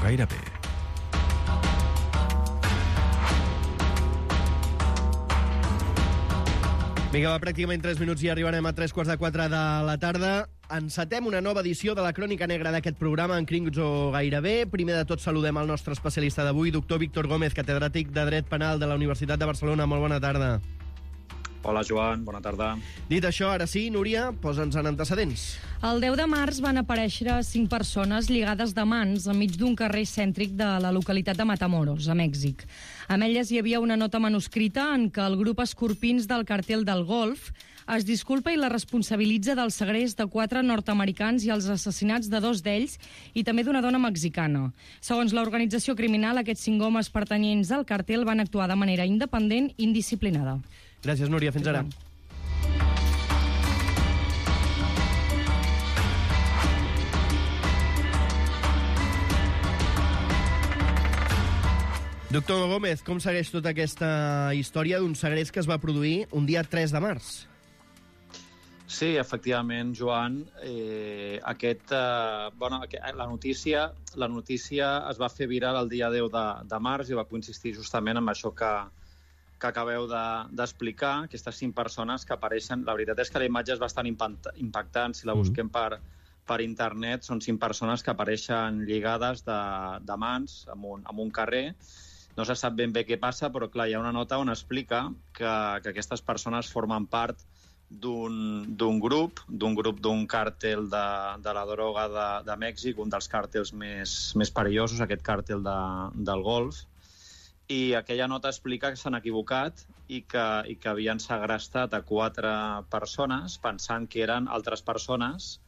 gairebé. Vinga, va, pràcticament 3 minuts i arribarem a 3:45 de la tarda. Encetem una nova edició de la Crònica Negra d'aquest programa en Crims o Gairebé. Primer de tot saludem el nostre especialista d'avui, doctor Víctor Gómez, catedràtic de Dret Penal de la Universitat de Barcelona. Molt bona tarda. Hola, Joan, bona tarda. Dit això, ara sí, Núria, posa'ns en antecedents. El 10 de març van aparèixer 5 persones lligades de mans enmig d'un carrer cèntric de la localitat de Matamoros, a Mèxic. Amb elles hi havia una nota manuscrita en què el grup Escorpins del Càrtel del Golf es disculpa i la responsabilitza del segrest de 4 nord-americans i els assassinats de 2 d'ells i també d'una dona mexicana. Segons l'organització criminal, aquests 5 homes pertanyents al càrtel van actuar de manera independent i indisciplinada. Gràcies, Núria. Fins ara. Doctor Gómez, com segueix tota aquesta història d'un segrest que es va produir un dia 3 de març? Sí, efectivament, Joan. La notícia es va fer viral el dia 10 de març i va coincidir justament amb això que acabeu d'explicar, aquestes 5 persones que apareixen. La veritat és que la imatge és bastant impactant. Si la busquem per internet, són 5 persones que apareixen lligades de mans en un carrer. No se sap ben bé què passa, però clar, hi ha una nota on explica que aquestes persones formen part d'un grup d'un càrtel de la droga de Mèxic, un dels càrtels més perillosos, aquest càrtel del Golf. I aquella nota explica que s'han equivocat i que havien segrestat a 4 persones pensant que eren altres persones,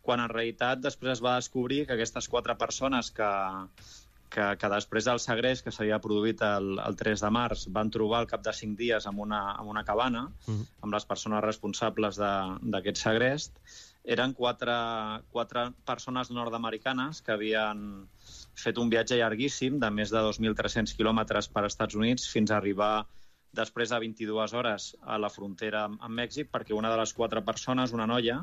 quan en realitat després es va descobrir que aquestes 4 persones que després del segrest que s'havia produït el 3 de març van trobar al cap de 5 dies en una cabana amb les persones responsables d'aquest segrest, eren 4 persones nord-americanes que havien fet un viatge llarguíssim de més de 2.300 quilòmetres per als Estats Units fins a arribar després de 22 hores a la frontera amb Mèxic, perquè una de les 4 persones, una noia,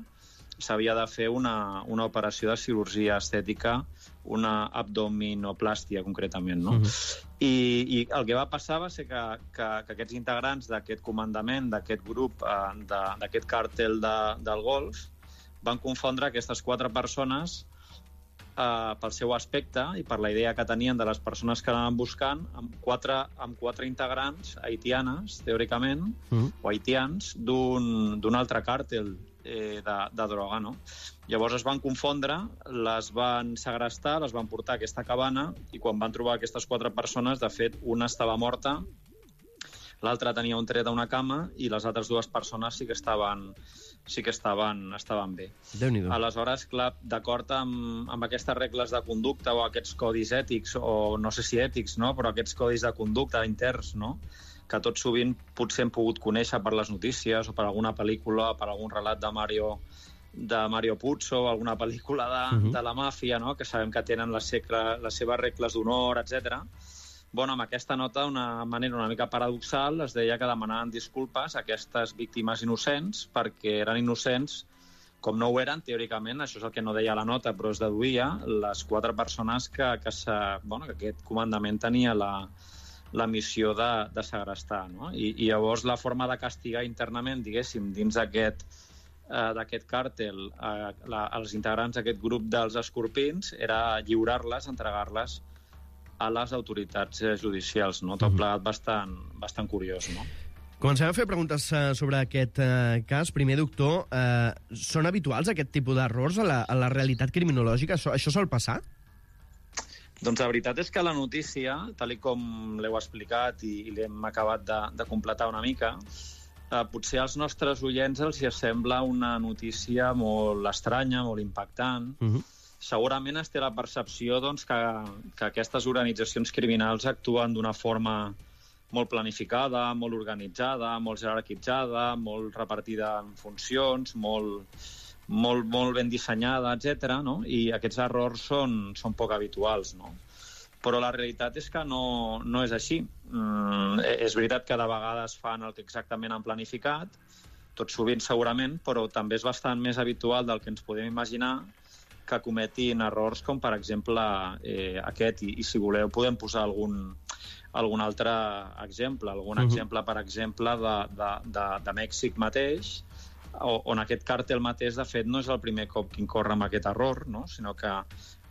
s'havia de fer una operació de cirurgia estètica, una abdominoplàstia concretament, no? I el que va passar va ser que aquests integrants d'aquest comandament, d'aquest grup, d'aquest càrtel del Golf, van confondre aquestes 4 persones pel seu aspecte i per la idea que tenien de les persones que anaven buscant amb 4 integrants haitianes, teòricament, o haitians, d'un altre càrtel de droga, no? Llavors es van confondre, les van segrestar, les van portar a aquesta cabana i quan van trobar aquestes 4 persones, de fet, una estava morta, l'altra tenia un tret a una cama i les altres 2 persones sí que estaven bé. Déu-n'hi-do. Aleshores, clar, d'acord amb aquestes regles de conducta o aquests codis ètics, o no sé si ètics, no? Però aquests codis de conducta interns, no? Que tot sovint potser hem pogut conèixer per les notícies o per alguna pel·lícula, per algun relat de Mario Puzo, alguna pel·lícula de la màfia, no? Que sabem que tenen les seves regles d'honor, etc. Bueno, amb aquesta nota, d'una manera una mica paradoxal, es deia que demanaven disculpes a aquestes víctimes innocents perquè eren innocents, com no ho eren, teòricament, això és el que no deia la nota, però es deduïa, les 4 persones que aquest comandament tenia la missió de segrestar, no? I llavors la forma de castigar internament, diguéssim, dins d'aquest càrtel, els integrants d'aquest grup dels Escorpins, era lliurar-les, entregar-les a les autoritats judicials, no? Tot plegat bastant curiós, no? Comencem a fer preguntes sobre aquest cas. Primer, doctor, són habituals aquest tipus d'errors a la realitat criminològica? Això sol passar? Doncs la veritat és que la notícia, tal com l'heu explicat i l'hem acabat de completar una mica, potser als nostres oients els hi sembla una notícia molt estranya, molt impactant. Segurament es té la percepció que aquestes organitzacions criminals actuen d'una forma molt planificada, molt organitzada, molt jerarquitzada, molt repartida en funcions, molt ben dissenyada, etc. No? I aquests errors són poc habituals, no? Però la realitat és que no és així. És veritat que de vegades fan el que exactament han planificat, tot sovint segurament, però també és bastant més habitual del que ens podem imaginar que cometin errors com, per exemple, aquest. I si voleu, podem posar algun altre exemple. Exemple, per exemple, de Mèxic mateix, on aquest càrtel mateix, de fet, no és el primer cop que incorre amb aquest error, no? Sinó que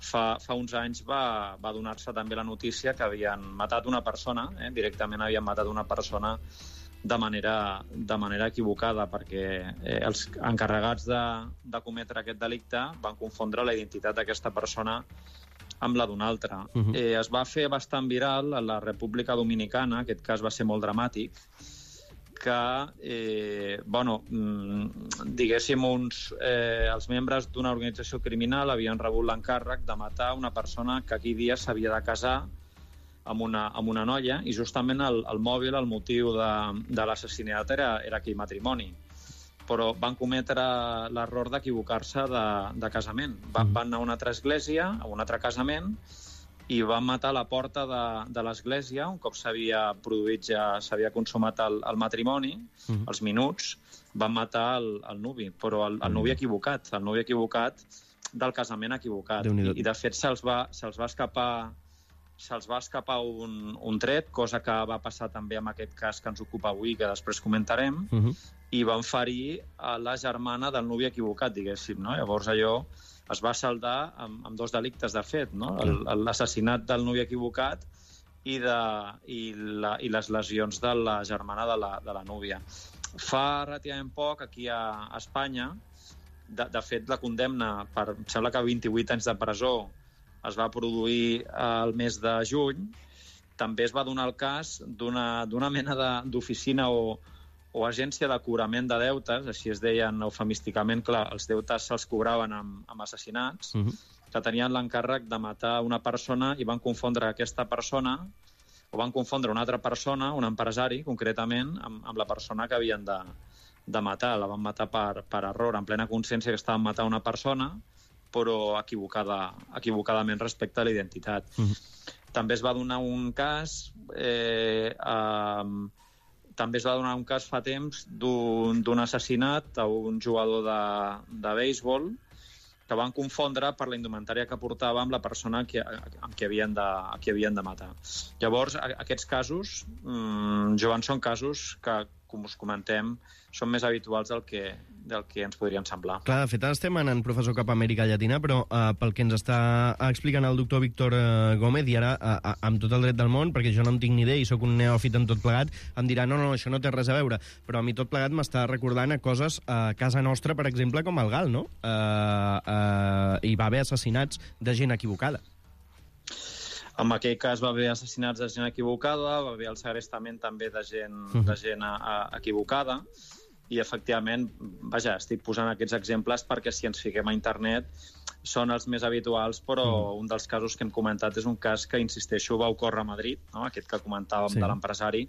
fa uns anys va donar-se també la notícia que havien matat una persona, directament havien matat una persona de manera equivocada, perquè els encarregats de cometre aquest delicte van confondre la identitat d'aquesta persona amb la d'una altra. Es va fer bastant viral a la República Dominicana, aquest cas va ser molt dramàtic, que, diguéssim, els membres d'una organització criminal havien rebut l'encàrrec de matar una persona que aquell dia s'havia de casar amb una noia, i justament el mòbil, el motiu de l'assassinat era aquell matrimoni. Però van cometre l'error d'equivocar-se de casament. Van anar a una altra església, a un altre casament, i van matar a la porta de l'església, un cop s'havia consumat el matrimoni, els minuts, van matar el nuvi, però el nuvi equivocat del casament equivocat. I de fet se'ls va escapar un tret, cosa que va passar també amb aquest cas que ens ocupa avui, que després comentarem, i van ferir a la germana del nuvi equivocat, diguéssim, no? Llavors allò es va saldar amb dos delictes, de fet, no? L'assassinat del nuvi equivocat i les lesions de la germana de la núvia. Fa relativament poc, aquí a Espanya, de fet, la condemna per, em sembla que 28 anys de presó es va produir al mes de juny. També es va donar el cas d'una mena d'oficina o agència de cobrament de deutes, així es deien eufemísticament, clar, els deutes se'ls cobraven amb assassinats, que tenien l'encàrrec de matar una persona i van confondre aquesta persona, o van confondre una altra persona, un empresari, concretament, amb la persona que havien de matar. La van matar per error, en plena consciència que estaven matant una persona, però equivocadament respecte a la identitat. També es va donar un cas fa temps d'un assassinat a un jugador de béisbol que van confondre per la indumentària que portava amb la persona amb qui havien de matar. Llavors, aquests casos, Joan, són casos que, com us comentem, són més habituals del que ens podrien semblar. Clar, de fet, estem anant, professor, cap a Amèrica Llatina, però pel que ens està explicant el doctor Víctor Gómez, i ara, amb tot el dret del món, perquè jo no en tinc ni idea i sóc un neòfit en tot plegat, em dirà, no, això no té res a veure, però a mi tot plegat m'està recordant a coses a casa nostra, per exemple, com el GAL, no? Hi va haver assassinats de gent equivocada. En aquell cas va haver assassinats de gent equivocada, va haver el segrestament també de gent equivocada, i efectivament, vaja, estic posant aquests exemples perquè si ens fiquem a internet són els més habituals, però un dels casos que hem comentat és un cas que, insisteixo, va ocórrer a Madrid, no? Aquest que comentàvem de l'empresari,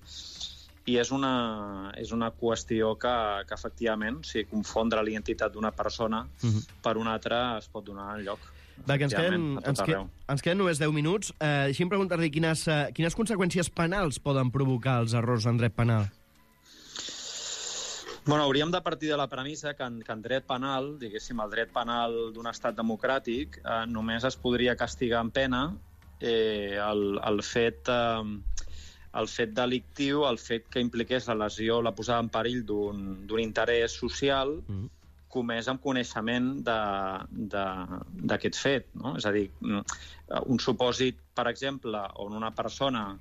i és una qüestió que efectivament, si confondre l'identitat d'una persona per una altra es pot donar en lloc. Va, que ens queden només 10 minuts. Deixi'm preguntar-li quines conseqüències penals poden provocar els errors en dret penal? Bueno, hauríem de partir de la premissa que en dret penal, diguéssim, el dret penal d'un estat democràtic, només es podria castigar amb pena el fet delictiu, el fet que impliqués la lesió, la posada en perill d'un interès social comès amb coneixement d'aquest fet, no? És a dir, un supòsit, per exemple, on una persona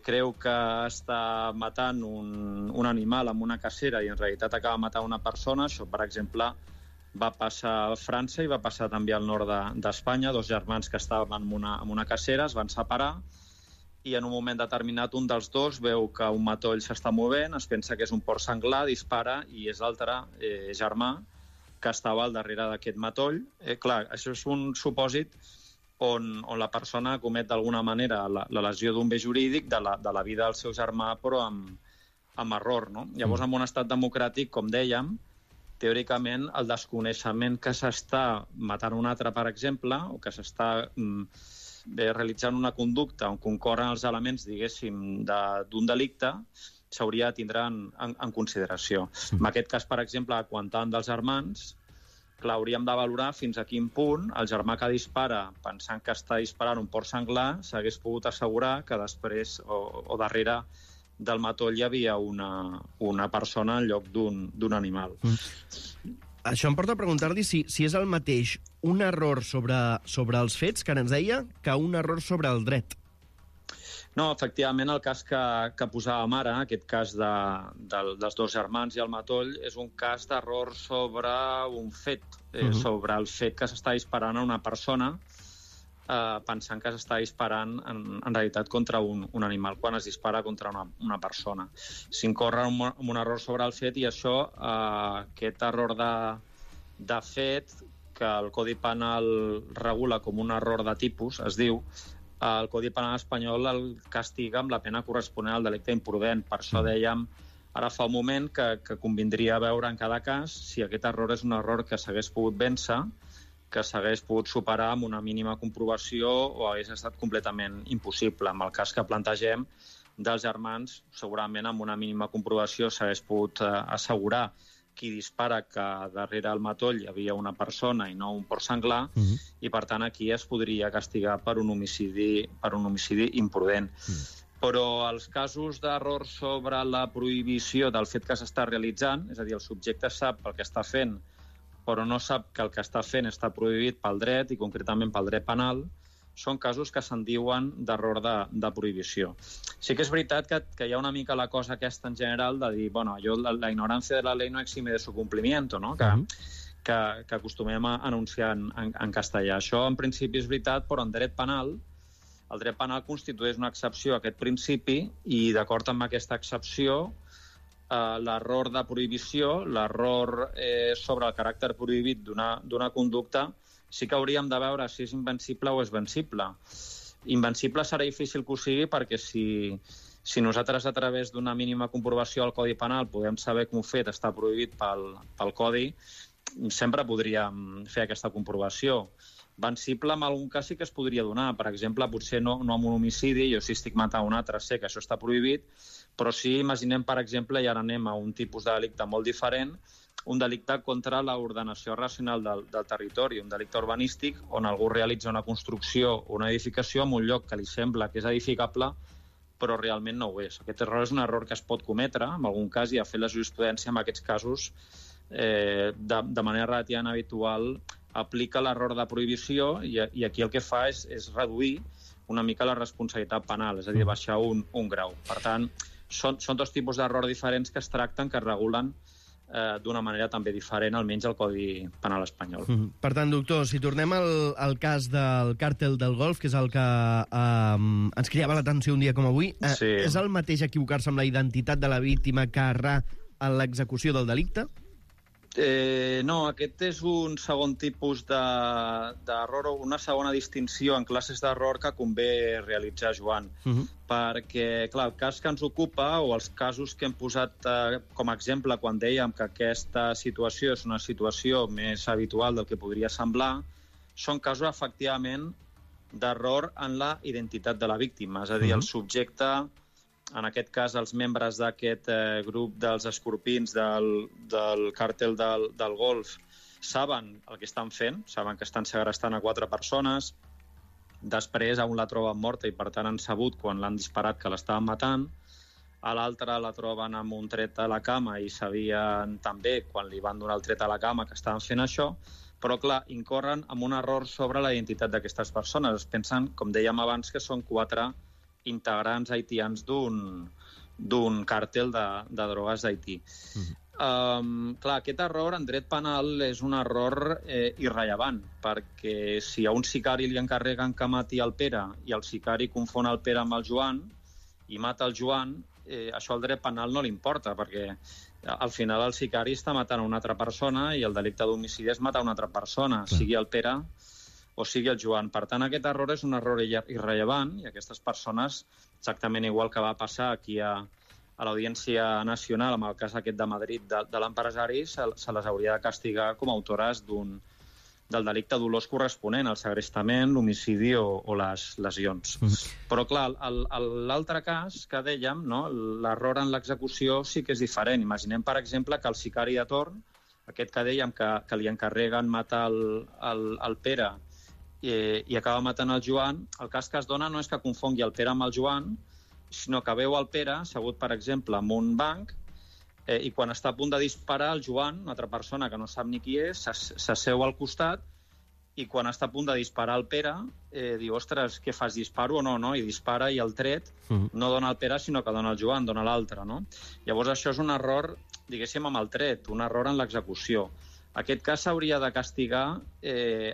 creu que està matant un animal amb una cacera i en realitat acaba matant una persona, això, per exemple, va passar a França i va passar també al nord d'Espanya. Dos germans que estaven en una cacera es van separar i en un moment determinat un dels dos veu que un matoll s'està movent, es pensa que és un porc senglar, dispara i és l'altre germà que estava al darrere d'aquest matoll. Clar, això és un supòsit on la persona comet d'alguna manera la lesió d'un bé jurídic de la vida del seu germà, però amb error, no? Llavors, en un estat democràtic, com dèiem, teòricament, el desconeixement que s'està matant un altre, per exemple, o que s'està realitzant una conducta on concorren els elements, diguéssim, d'un delicte, s'hauria de tindre en consideració. En aquest cas, per exemple, quan tant dels germans, clar, hauríem de valorar fins a quin punt el germà que dispara, pensant que està disparant un porc senglar, s'hagués pogut assegurar que després o darrere del matoll hi havia una persona en lloc d'un animal. Això em porta a preguntar-li si és el mateix un error sobre els fets, que ara ens deia, que un error sobre el dret. No, efectivament, el cas que posàvem ara, aquest cas dels dos germans i el matoll, és un cas d'error sobre un fet, sobre el fet que s'està disparant a una persona, pensant que s'està disparant en realitat contra un animal, quan es dispara contra una persona. S'incorre en un error sobre el fet i això, aquest error de fet, que el Codi Penal regula com un error de tipus, es diu, el Codi Penal espanyol el castiga amb la pena corresponent al delicte imprudent. Per això dèiem ara fa un moment que convindria veure en cada cas si aquest error és un error que s'hagués pogut vèncer, que s'hagués pogut superar amb una mínima comprovació o hagués estat completament impossible. En el cas que plantegem dels germans, segurament amb una mínima comprovació s'hagués pogut assegurar qui dispara que darrere el matoll hi havia una persona i no un porc senglar, i per tant aquí es podria castigar per un homicidi imprudent. Però els casos d'error sobre la prohibició del fet que s'està realitzant, és a dir, el subjecte sap el que està fent, però no sap que el que està fent està prohibit pel dret i concretament pel dret penal, són casos que se'n diuen d'error de prohibició. Sí que és veritat que hi ha una mica la cosa aquesta en general de dir, bueno, la ignorància de la ley no exime de su cumplimiento, no? Que acostumem a anunciar en castellà. Això en principi és veritat, però en dret penal, el dret penal constitueix una excepció a aquest principi i d'acord amb aquesta excepció, l'error de prohibició, l'error sobre el caràcter prohibit d'una conducta, sí que hauríem de veure si és invencible o és vencible. Invencible serà difícil que ho sigui perquè si nosaltres a través d'una mínima comprovació al Codi Penal podem saber que un fet està prohibit pel Codi, sempre podríem fer aquesta comprovació. Vencible en algun cas sí que es podria donar. Per exemple, potser no amb un homicidi, jo si estic matant un altre sé que això està prohibit, però sí, imaginem, per exemple, i ara anem a un tipus de delicte molt diferent, un delicte contra l'ordenació racional del territori, un delicte urbanístic on algú realitza una construcció o una edificació en un lloc que li sembla que és edificable, però realment no ho és. Aquest error és un error que es pot cometre, en algun cas, i ha fet la jurisprudència en aquests casos de manera relativament habitual aplica l'error de prohibició i aquí el que fa és reduir una mica la responsabilitat penal, és a dir, baixar un grau. Per tant, són dos tipus d'error diferents que es tracten, que es regulen d'una manera també diferent, almenys al Codi Penal espanyol. Per tant, doctor, si tornem al cas del càrtel del Golf, que és el que ens cridava l'atenció un dia com avui, és el mateix equivocar-se amb la identitat de la víctima que errar en l'execució del delicte? No, aquest és un segon tipus d'error o una segona distinció en classes d'error que convé realitzar, Joan. Perquè, clar, el cas que ens ocupa o els casos que hem posat com a exemple quan dèiem que aquesta situació és una situació més habitual del que podria semblar, són casos, efectivament, d'error en la identitat de la víctima. És a dir, el subjecte, en aquest cas els membres d'aquest grup dels escorpins del càrtel del Golf, saben el que estan fent, saben que estan segrestant a 4 persones, després a un la troben morta i per tant han sabut quan l'han disparat que l'estaven matant, a l'altra la troben amb un tret a la cama i sabien també quan li van donar el tret a la cama que estaven fent això, però clar, incorren en un error sobre la identitat d'aquestes persones. Es pensen, com dèiem abans, que són 4 integrants haitians d'un càrtel de drogues d'Haití. Clar, aquest error en dret penal és un error irrellevant, perquè si a un sicari li encarreguen que mati el Pere i el sicari confon el Pere amb el Joan i mata el Joan, això al dret penal no li importa, perquè al final el sicari està matant una altra persona i el delicte d'homicidi és matar una altra persona, sigui el Pere o sigui el Joan. Per tant, aquest error és un error irrellevant i aquestes persones, exactament igual que va passar aquí a l'Audiència Nacional, amb el cas aquest de Madrid de l'empresari, se les hauria de castigar com a autores del delicte dolós corresponent, el segrestament, l'homicidi o les lesions. Però, clar, l'altre cas que dèiem, l'error en l'execució sí que és diferent. Imaginem, per exemple, que el sicari de torn aquest que dèiem que li encarreguen matar el Pere i acaba matant el Joan, el cas que es dona no és que confongui el Pere amb el Joan, sinó que veu el Pere assegut, per exemple, en un banc i quan està a punt de disparar, el Joan, una altra persona que no sap ni qui és, s'asseu al costat i quan està a punt de disparar el Pere diu, ostres, què fas, disparo o no? I dispara i el tret no dona el Pere, sinó que dona el Joan, dona l'altre. No? Llavors això és un error, diguéssim, amb el tret, un error en l'execució. Aquest cas s'hauria de castigar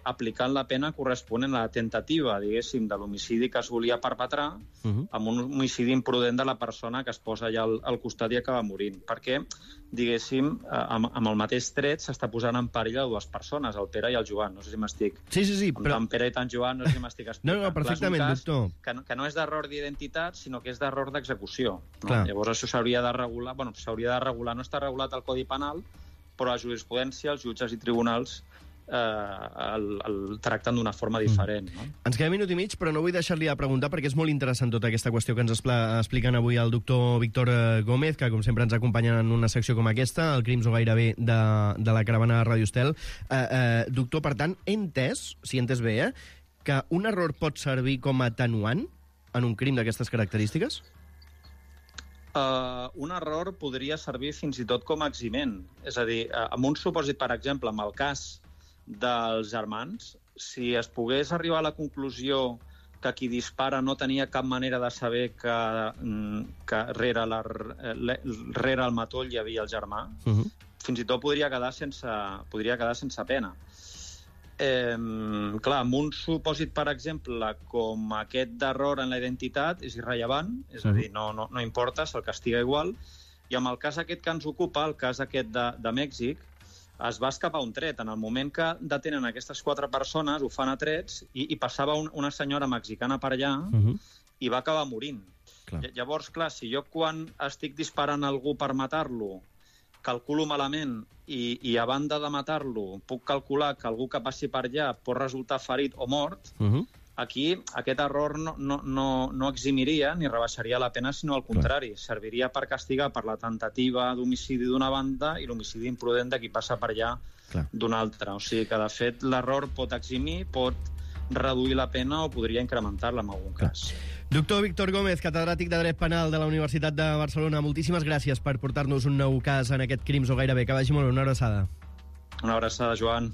aplicant la pena corresponent a la tentativa, diguéssim, de l'homicidi que es volia perpetrar amb un homicidi imprudent de la persona que es posa allà al costat i acaba morint. Perquè, diguéssim, amb el mateix tret s'està posant en perill a dues persones, el Pere i el Joan. No sé si m'estic... Sí, però... Tant Pere i tant Joan, no sé si m'estic explicant. No, perfectament, doctor. Que no és d'error d'identitat, sinó que és d'error d'execució. No? Llavors això s'hauria de regular... Bueno, s'hauria de regular, no està regulat al Codi Penal, però la jurisprudència, els jutges i tribunals el tracten d'una forma diferent. No? Ens queda minut i mig, però no vull deixar-li de preguntar perquè és molt interessant tota aquesta qüestió que ens expliquen avui el doctor Víctor Gómez, que com sempre ens acompanya en una secció com aquesta, el Crims o gairebé de la caravana de Ràdio Estel. Doctor, per tant, he entès, si he entès bé, que un error pot servir com a atenuant en un crim d'aquestes característiques? Un error podria servir fins i tot com a eximent. És a dir, en un supòsit, per exemple, en el cas dels germans, si es pogués arribar a la conclusió que qui dispara no tenia cap manera de saber que rere el matoll hi havia el germà, fins i tot podria quedar sense pena. Clar, amb un supòsit, per exemple, com aquest d'error en la identitat, és irrellevant, és a dir, no importa, se'l castiga igual, i amb el cas aquest que ens ocupa, el cas aquest de Mèxic, es va escapar un tret. En el moment que detenen aquestes 4 persones, ho fan a trets, i passava una senyora mexicana per allà i va acabar morint. Llavors, clar, si jo quan estic disparant algú per matar-lo calculo malament i a banda de matar-lo puc calcular que algú que passi per allà pot resultar ferit o mort, aquí aquest error no eximiria ni rebaixaria la pena, sinó al contrari, serviria per castigar per la tentativa d'homicidi d'una banda i l'homicidi imprudent de qui passa per allà d'una altra. O sigui que, de fet, l'error pot eximir, pot reduir la pena o podria incrementar-la en algun cas. Doctor Víctor Gómez, catedràtic de Dret Penal de la Universitat de Barcelona, moltíssimes gràcies per portar-nos un nou cas en aquest Crims o gairebé. Que vagi molt bé, una abraçada. Una abraçada, Joan.